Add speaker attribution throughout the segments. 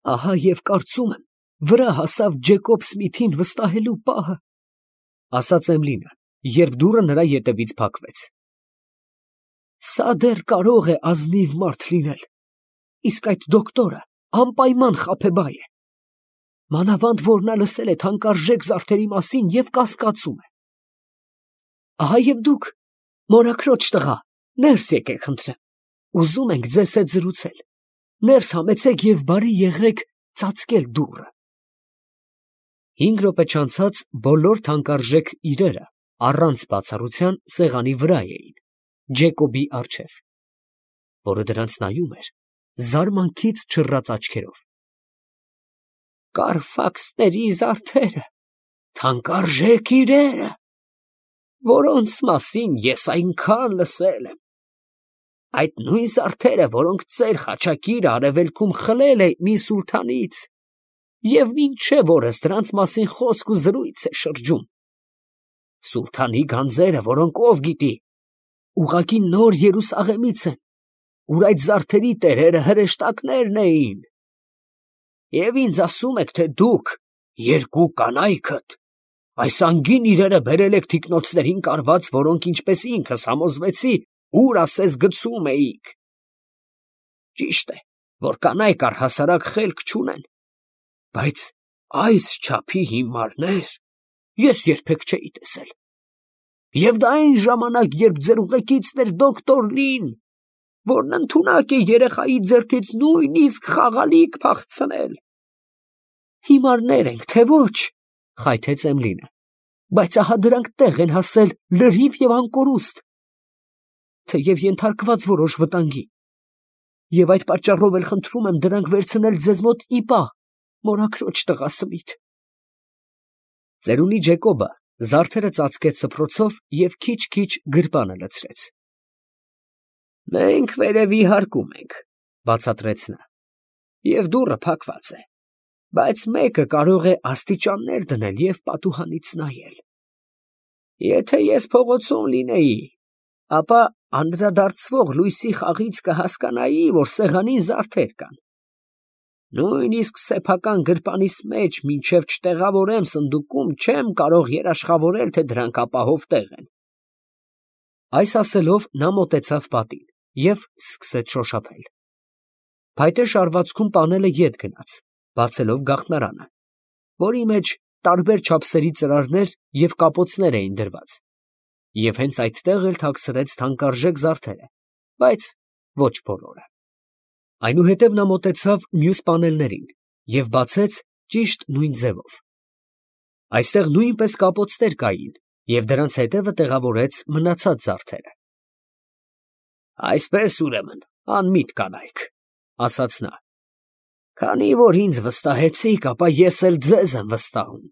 Speaker 1: Ահա և կարծում եմ, վրա հասավ Ջեկոբ Սմիթին վստահելու պահը, ասաց Էմիլին, երբ դուռը նրա ետևից փակվեց։ Սա դեռ կարող է ազնիվ մարդ լինել, իսկ այդ դոկտորը անպայման խաբեբայ է, մանավանդ որ նա լսել է թանկարժեք զարդերի մասին և կասկածում է։ Ահա և դուք, մորաքրոջ տղա, ներս եկեք խնդրեմ, ուզում ենք ձեզ հետ զրուցել, ներս համեցեք և բարի եղեք ծածկել դուռը։ 5 րոպե չանցած բոլոր թանկարժեք իրերը առանց բացառության սեղանի վրա էին, Ջեկոբի առջև, որը դրանց նայում էր զարմանքից չռած աչքերով։ Կարֆաքսների զարդերը, թանկարժեք իրերը, որոնց մասին ես այնքան լսել եմ, այդ նույն զարդերը, որոնք ծեր խաչակիրը արևելքում խլել է մի սուլթանից, և մինչև օրս դրանց մասին խոսք ու զրույց է շրջում։ Սուլթանի գանձերը, որոնք ով գիտի, ուղղակի նոր Երուսաղեմից են, ուր այդ զարդերի տերերը հրեշտակներն էին։ Եվ ինձ ասում եք, թե դուք, երկու կանայքդ, այս անգին իրերը բերել եք թիկնոցներին կարված, որոնք, ինչպես ինքս համոզվեցի, ուր ասես գցում էիք։ Ճիշտ է, որ կանայք առհասարակ խելք չունեն, բայց այս չափի հիմարներ ես երբեք չէի տեսել։ Եվ դա այն ժամանակ, երբ ձեր ուղեկիցն էր դոկտոր Լին, որն ընդունակ է երեխայի ձեռքից նույնիսկ խաղալիք փախցնել։ Հիմարներ ենք, թե ոչ, խայթեց Էմիլին, բայց ահա դրանք տեղ են հասել լրիվ և անկորուստ, թեև ենթարկված որոշ վտանգի, և այդ պատճառով էլ խնդրում եմ դրանք վերցնել ձեզ մոտ ի պահ, մորաքրոջ տղա Սմիթ։ Ծերունի Ջեկոբը զարդերը ծածկեց սփռոցով և քիչ-քիչ գրպանը լցրեց։ Մենք վերևի հարկում ենք, բացատրեց նա, և դուռը փակված է, բայց մեկը կարող է աստիճաններ դնել և պատուհանից նայել։ Եթե ես փողոցում լինեի, ապա անդրադարձվող լույսի խաղից կհասկանայի, որ սեղանին զարդեր կան։ Նույնիսկ սեփական գրպանիս մեջ, մինչև չտեղավորեմ սնդուկում, չեմ կարող երաշխավորել, թե դրանք ապահով տեղ են։ Այս ասելով նա մոտեցավ պատին և սկսեց շոշափել։ Փայտե շարվածքում պանելը ետ գնաց, բացելով գաղտնարանը, որի մեջ տարբեր չափսերի ծրարներ և կապոցներ էին դրված, և հենց այդտեղ էլ թաքցրեց թանկարժեք զարդերը, բայց ոչ բոլորը։ Այնուհետև նա մոտեցավ մյուս պանելներին և բացեց ճիշտ նույն ձևով։ Այստեղ նույնպես կապոցներ կային, և դրանց հետևը տեղավորեց մնացած զարդերը։ Այսպես, ուրեմն, անմիտ կանայք, ասաց նա, քանի որ ինձ վստահեցիք, ապա ես էլ ձեզ եմ վստահում։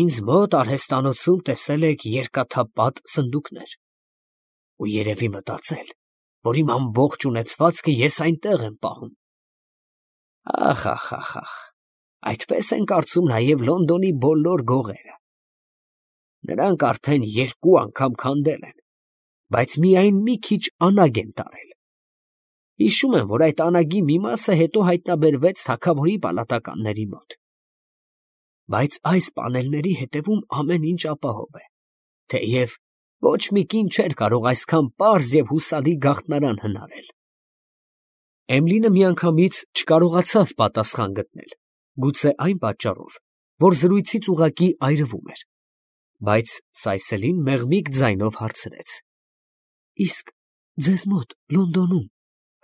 Speaker 1: Ինձ մոտ արհեստանոցում տեսել եք երկաթապատ սնդուկներ ու երևի մտածել, որ իմ ամբողջ ունեցվածքը ես այնտեղ եմ պահում։ Ախ, այդպես են կարծում նաև Լոնդոնի բոլոր գողերը։ Նրանք արդեն 2 անգամ քանդել են, բայց միայն մի քիչ անագ են տարել։ Հիշում եմ, որ այդ անագի մի մասը հետո հայտնաբերվեց թագավորի պալատականների մոտ։ Բայց այս պանելների հետևում ամեն ինչ ապահով է, թեև ոչ մի կին չէր կարող այսքան պարզ և հուսալի գաղտնարան հնարել։ Էմիլինը միանգամից չկարողացավ պատասխան գտնել, գուցե այն պատճառով, որ զրույցից ուղղակի այրվում էր, բայց սայսելին մեղմիկ ձայնով հարցրեց. Իսկ ձեզ մոտ Լոնդոնում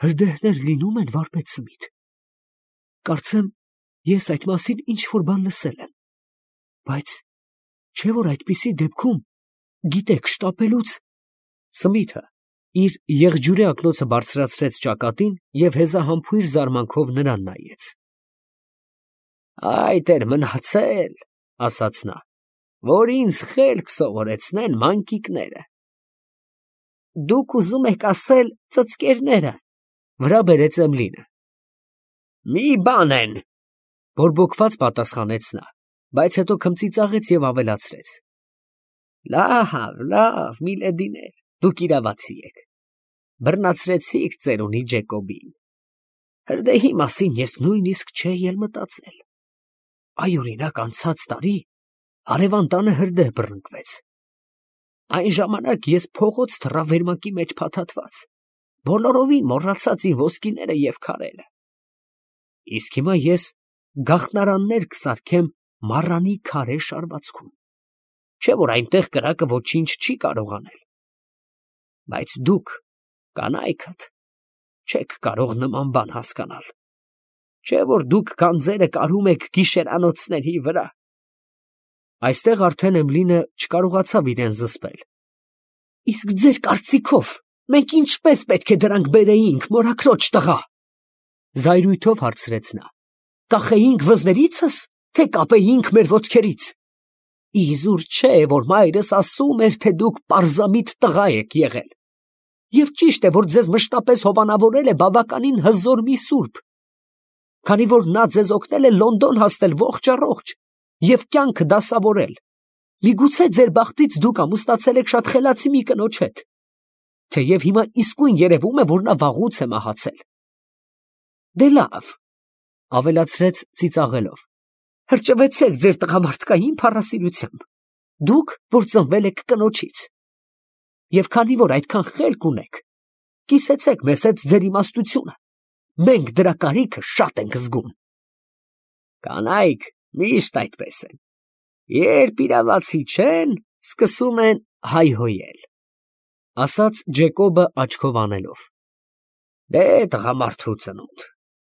Speaker 1: հրդեհներ լինում են, վարպետ Սմիթ։ Կարծեմ, ես այդ մասին ինչ֊որ բան լսել եմ, բայց չէ՞ որ այդպիսի դեպքում գիտեք շտապելուց… Սմիթը իր եղջյուրե ակնոցը բարձրացրեց ճակատին և հեզահամբույր զարմանքով նրան նայեց։ Այդ էր մնացել, ասաց նա, որ ինձ խելք սովորեցնեն մանկիկները։ Դուք ուզում եք ասել ծծկերները, վրա բերեց Էմիլինը։ Մի բան են, բորբոքված պատասխանեց նա, բայց հետո քմծիծաղեց և ավելացրեց. Լավ, միլեդիներ, դուք իրավացի եք, բռնացրեցիք ծերունի Ջեկոբին։ Հրդեհի մասին ես նույնիսկ չէի էլ մտածել։ Այ օրինակ անցած տարի հարևան տանը հրդեհ բռնկվեց։ Այն ժամանակ ես փողոց թռա վերմակի մեջ փաթաթված, բոլորովին մոռացած իմ ոսկիները եւ քարերը։ Իսկ հիմա ես գաղտնարաններ կսարքեմ մառանի քարե շարվածքում, չէ՞ որ այնտեղ կրակը ոչինչ չի կարող անել։ Բայց դուք, կանայքդ, չեք կարող նման բան հասկանալ, չէ՞ որ դուք գանձերը կարում եք գիշերանոցների վրա։ Այստեղ արդեն Էմլինը չկարողացավ իրեն զսպել։ Իսկ ձեր կարծիքով մենք ինչպես պետք է դրանք բերեինք, մորաքրոջ տղա, զայրույթով հարցրեց նա։ Կախեինք վզներիցս, թե կապեինք մեր ոտքերից։ Իզուր չէ, որ մայրս ասում էր, թե դուք պարզամիտ տղա եք եղել։ Եվ ճիշտ է, որ ձեզ մշտապես հովանավորել է բավականին հզոր մի սուրբ, քանի որ նա ձեզ օգնել է Լոնդոն հասնել ողջ առողջ և կյանքը դասավորել։ Միգուցե ձեր բախտից դուք ամուսնացել եք շատ խելացի մի կնոջ հետ, թեև հիմա իսկույն երևում է, որ նա վաղուց է մահացել։ Դե լավ, ավելացրեց ծիծաղելով, հրճվեցեք ձեր տղամարդկային փառասիրությամբ, դուք, որ ծնվել եք կնոջից։ Եվ քանի որ այդքան խելք ունեք, կիսեցեք մեզ հետ ձեր իմաստությունը, մենք դրա կարիքը շատ ենք զգում։ Կանայք միշտ այդպես են, երբ իրավացի չեն, սկսում են հայհոյել, ասաց Ջեկոբը աչքով անելով։ Դե տղամարդու ծնունդ,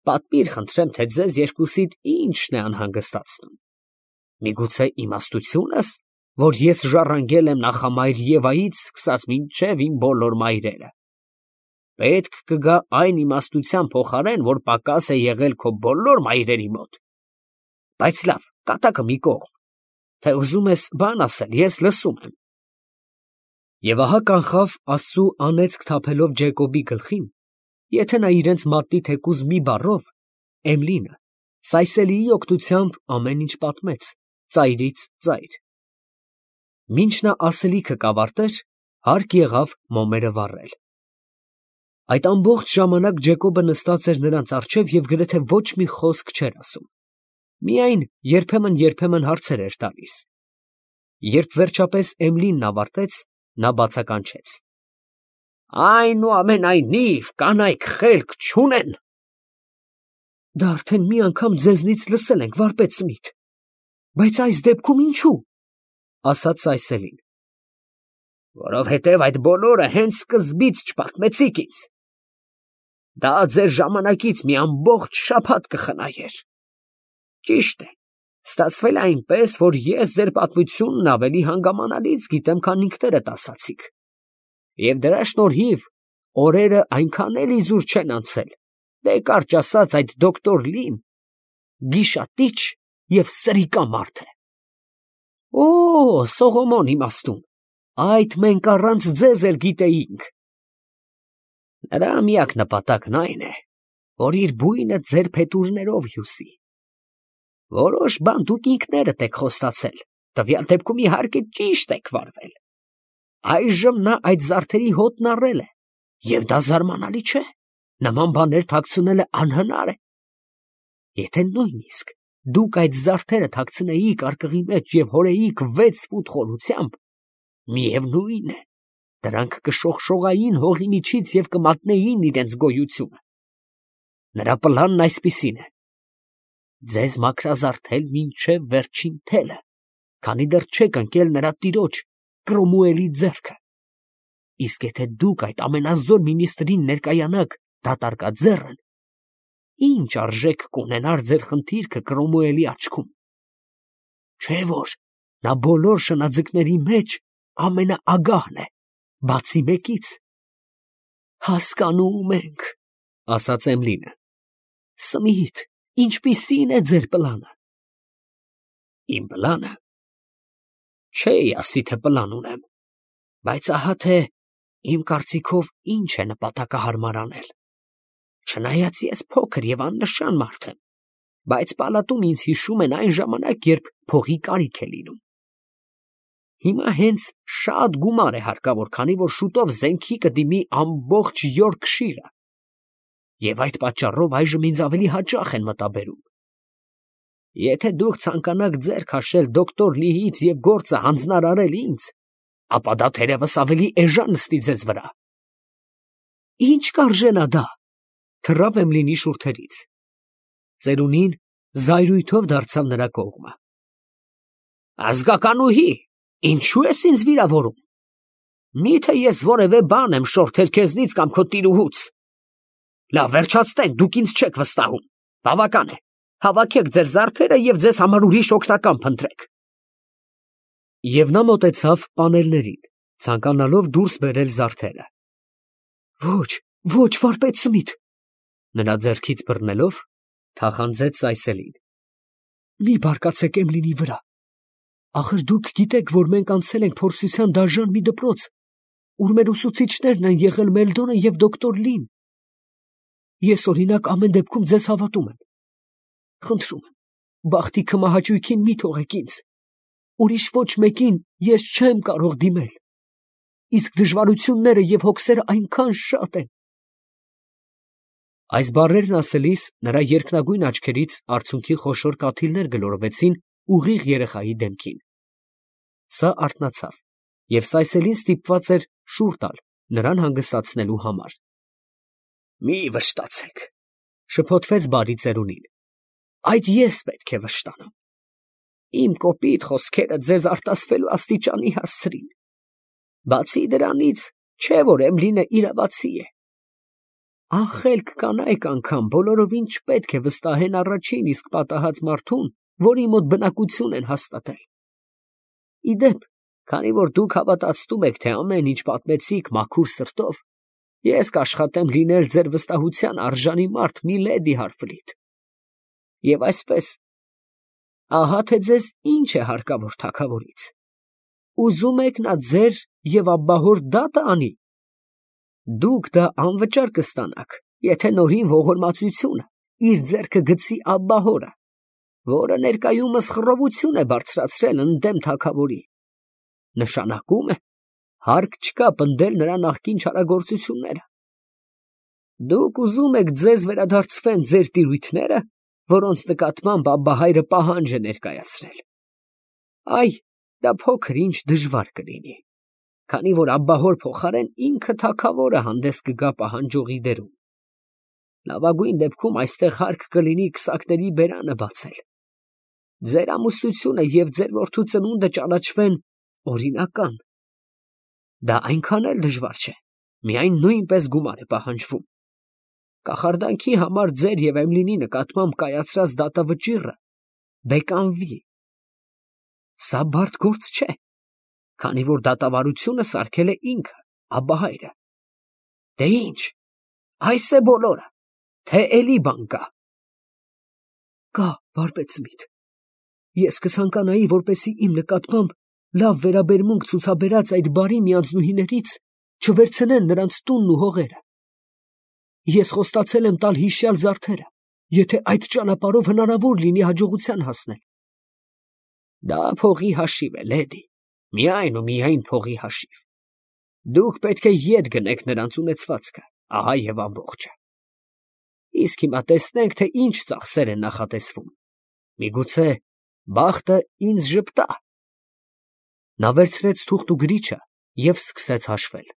Speaker 1: պատմիր խնդրեմ, թե ձեզ երկուսիդ ինչն է անհանգստացնում։ Միգուցե իմաստությունս, որ ես ժառանգել եմ նախամայր Եվայից սկսած մինչև իմ բոլոր մայրերը։ Պետք կգա այն իմաստության փոխարեն, որ պակաս է եղել քո բոլոր մայրերի մոտ։ Բայց լավ, կատակը մի կողմ, թե ուզում ես բան ասել, ես լսում եմ։ Եվ ահա կանխավ Աստծու անեծք թափելով Ջեկոբի գլխին, եթե նա իրենց մատնի թեկուզ մի բառով, Էմլինը Սայսելիի օգնությամբ ամեն ինչ պատմեց, ծայրից ծայր։ Մինչ նա ասելիքը կավարտեր, հարկ եղավ մոմերը վառել։ Այդ ամբողջ ժամանակ Ջեկոբը նստած էր նրանց առջև և գրեթե ոչ մի խոսք չէր ասում։ Միայն երբեմն հարցեր էր տալիս։ Երբ վերջապես Էմլինն ավարտեց, նա բացականչեց. Այնուամենայնիվ, կանայք խելք չունեն։ Դա արդեն մի անգամ ձեզնից լսել ենք, վարպետ Սմիթ, բայց այս դեպքում ինչու, ասաց Սայսելին։ Որովհետև այդ բոլորը հենց սկզբից չպատմեցիք ինձ։ Դա ձեր ժամանակից մի ամբողջ շաբաթ կխնայեր։ Ճիշտ է, ստացվել է այնպես, որ ես ձեր պատմությունն ավելի հանգամանալից գիտեմ, քան ինքներդ ասացիք։ Եվ դրա շնորհիվ օրերը այնքան էլ իզուր չեն անցել, դե կարճ ասած այդ դոկտոր Լին գիշատիչ և սրիկա մարդ է։ Օ, Սողոմոն իմաստուն, այդ մենք առանց ձեզ էլ գիտեինք։ Նրա միակ նպատակն այն է, որ իր բույնը ձեր փետուրներով հյուսի։ Որոշ բան դուք ինքներդ եք խոստացել, տվյալ դեպքում իհարկե ճիշտ եք վարվել։ Այժմ նա այդ զարդերի հոտն առել է, և դա զարմանալի չէ, նման բաներ թաքցնելը անհնար է։ Եթե նույնիսկ դուք այդ զարդերը թաքցնեիք արկղի մեջ և հորեիք 6 ֆուտ խորությամբ, միևնույն է, դրանք կշողշողային հողի միջից և կմատնեին իրենց գոյությունը։ Նրա պլանն այսպիսին է. ձեզ մաքրազարդել մինչև վերջին թելը, քանի դեռ չեք ընկել նրա տիրոջ Կրոմուելի ձեռքը։ Իսկ եթե դուք այդ ամենազոր մինիստրին ներկայանաք դատարկաձեռն, ինչ արժեք կունենար ձեր խնդիրքը Կրոմուելի աչքում։ Չէ՞ որ նա բոլոր շնաձկների մեջ ամենաագահն է, բացի մեկից։ Հասկանում ենք, ասաց Էմլինը։ Սմիթ, ինչպիսի՞ն է ձեր պլանը։ Իմ պլանը։ Չէի ասի, թե պլան ունեմ, բայց ահա թե իմ կարծիքով ինչ է նպատակահարմար անել։ Չնայած ես փոքր և աննշան մարդ եմ, բայց պալատում ինձ հիշում են այն ժամանակ, երբ փողի կարիք է լինում։ Հիմա հենց շատ գումար է հարկավոր, քանի որ շուտով զենքի կդիմի ամբողջ Յորքշիրը։ Եվ այդ պատճառով այժմ ինձ ավելի հաճախ են մտաբերում։ Եթե դուք ցանկանաք ձեռ քաշել դոկտոր Լիից և գործը հանձնարարել ինձ, ապա դա թերևս ավելի էժան նստի ձեզ վրա։ Ինչ կարժենա դա, թռավ Էմլինի շուրթերից։ Ծերունին զայրույթով դարձավ նրա կողմը։ Ազգականուհի, ինչու ես ինձ վիրավորում։ Միթե ես որևէ բան եմ շորթել քեզնից կամ քո տիրուհուց։ Լավ, վերջացնենք, դուք ինձ չեք վստահում։ Բավական է, հավաքեք ձեր զարդերը և ձեզ համար ուրիշ օգնական փնտրեք։ Եվ նա մոտեցավ պանելներին, ցանկանալով դուրս բերել զարդերը։ Ոչ, ոչ, վարպետ Սմիթ, նրա ձեռքից բռնելով, թախանձեց Սայսելին։ Մի բարկացեք Էմլինի վրա։ Ախր դուք գիտեք, որ մենք անցել ենք փորձության դաժան մի դպրոց, ուր մեր ուսուցիչներն են եղել Մելդոնը և դոկտոր Լին։ Ես օրինակ ամեն դեպքում ձեզ հավատում եմ։ Խնդրում եմ, բախտի քմահաճույքին մի թողեք ինձ։ Ուրիշ ոչ մեկին ես չեմ կարող դիմել։ Իսկ դժվարությունները և հոգսերը այնքան շատ են։ Այս բառերն ասելիս նրա երկնագույն աչքերից արցունքի խոշոր կաթիլներ գլորվեցին ուղիղ երեխայի դեմքին։ Սա արթնացավ, և Սայսելին ստիպված էր շուռ տալ նրան հանգստացնելու համար։ Մի վշտացեք, շփոթվեց բարի ծերունին։ Այդ ես պետք է վշտանամ։ Իմ կոպիտ խոսքերը ձեզ արտասվելու աստիճանի հասցրին։ Բացի դրանից, չէ՞ որ Էմլինը իրավացի է։ Անխելք կանայք անգամ բոլորովին չպետք է վստահեն առաջին իսկ պատահած մարդուն, որի մոտ բնակություն են հաստատել։ Ի դեպ, քանի որ դուք հավատացնում եք, թե ամեն ինչ պատմեցիք մաքուր սրտով, ես կաշխատեմ լինել ձեր վստահության արժանի մարդ, միլեդի Հարֆլիտ։ Եվ այսպես, ահա թե ձեզ ինչ է հարկավոր թագավորից։ Ուզում եք նա ձեր և աբբահոր դատը անի։ Դուք դա անվճար կստանաք, եթե նորին ողորմածությունը իր ձեռքը գցի աբբահորը, որը ներկայումս խռովություն է բարձրացրել ընդդեմ թագավորի։ Նշանակում է, հարկ չկա պնդել նրա նախկին չարագործությունները։ Դուք ուզում եք ձեզ վերադարձվեն ձեր տիրույթները, որոնց նկատմամբ աբբահայրը պահանջ է ներկայացրել։ Այ, դա փոքր ինչ դժվար կլինի, քանի որ աբբահոր փոխարեն ինքը թագավորը հանդես կգա պահանջողի դերում։ Լավագույն դեպքում այստեղ հարկ կլինի քսակների բերանը բացել։ Ձեր ամուսնությունը և ձեր որդու ծնունդը ճանաչվեն օրինական։ Դա այնքան էլ դժվար չէ, միայն նույնպես գումար է պահանջվում։ Կախարդանքի համար ձեր և Էմլինի նկատմամբ կայացրած դատավճիռը բեկանվի։ Սա բարդ գործ չէ, քանի որ դատավարությունը սարքել է ինքը, աբբահայրը։ Դե ինչ, այս է բոլորը, թե էլի բան կա։ Կա, վարպետ Սմիթ։ Ես կցանկանայի, որպեսզի իմ նկատմամբ լավ վերաբերմունք ցուցաբերած այդ բարի միանձնուհիներից չվերցնեն նրանց տունն ու հողերը։ Ես խոստացել եմ տալ հիշյալ զարդերը, եթե այդ ճանապարհով հնարավոր լինի հաջողության հասնել։ Դա փողի հաշիվ է, լեդի, միայն ու միայն փողի հաշիվ։ Դուք պետք է ետ գնեք նրանց ունեցվածքը, ահա և ամբողջը։ Իսկ հիմա տեսնենք, թե ինչ ծախսեր են նախատեսվում։ Միգուցե բախտը ինձ ժպտա։ Նա վերցրեց թուղթ ու գրիչը և սկսեց հաշվել։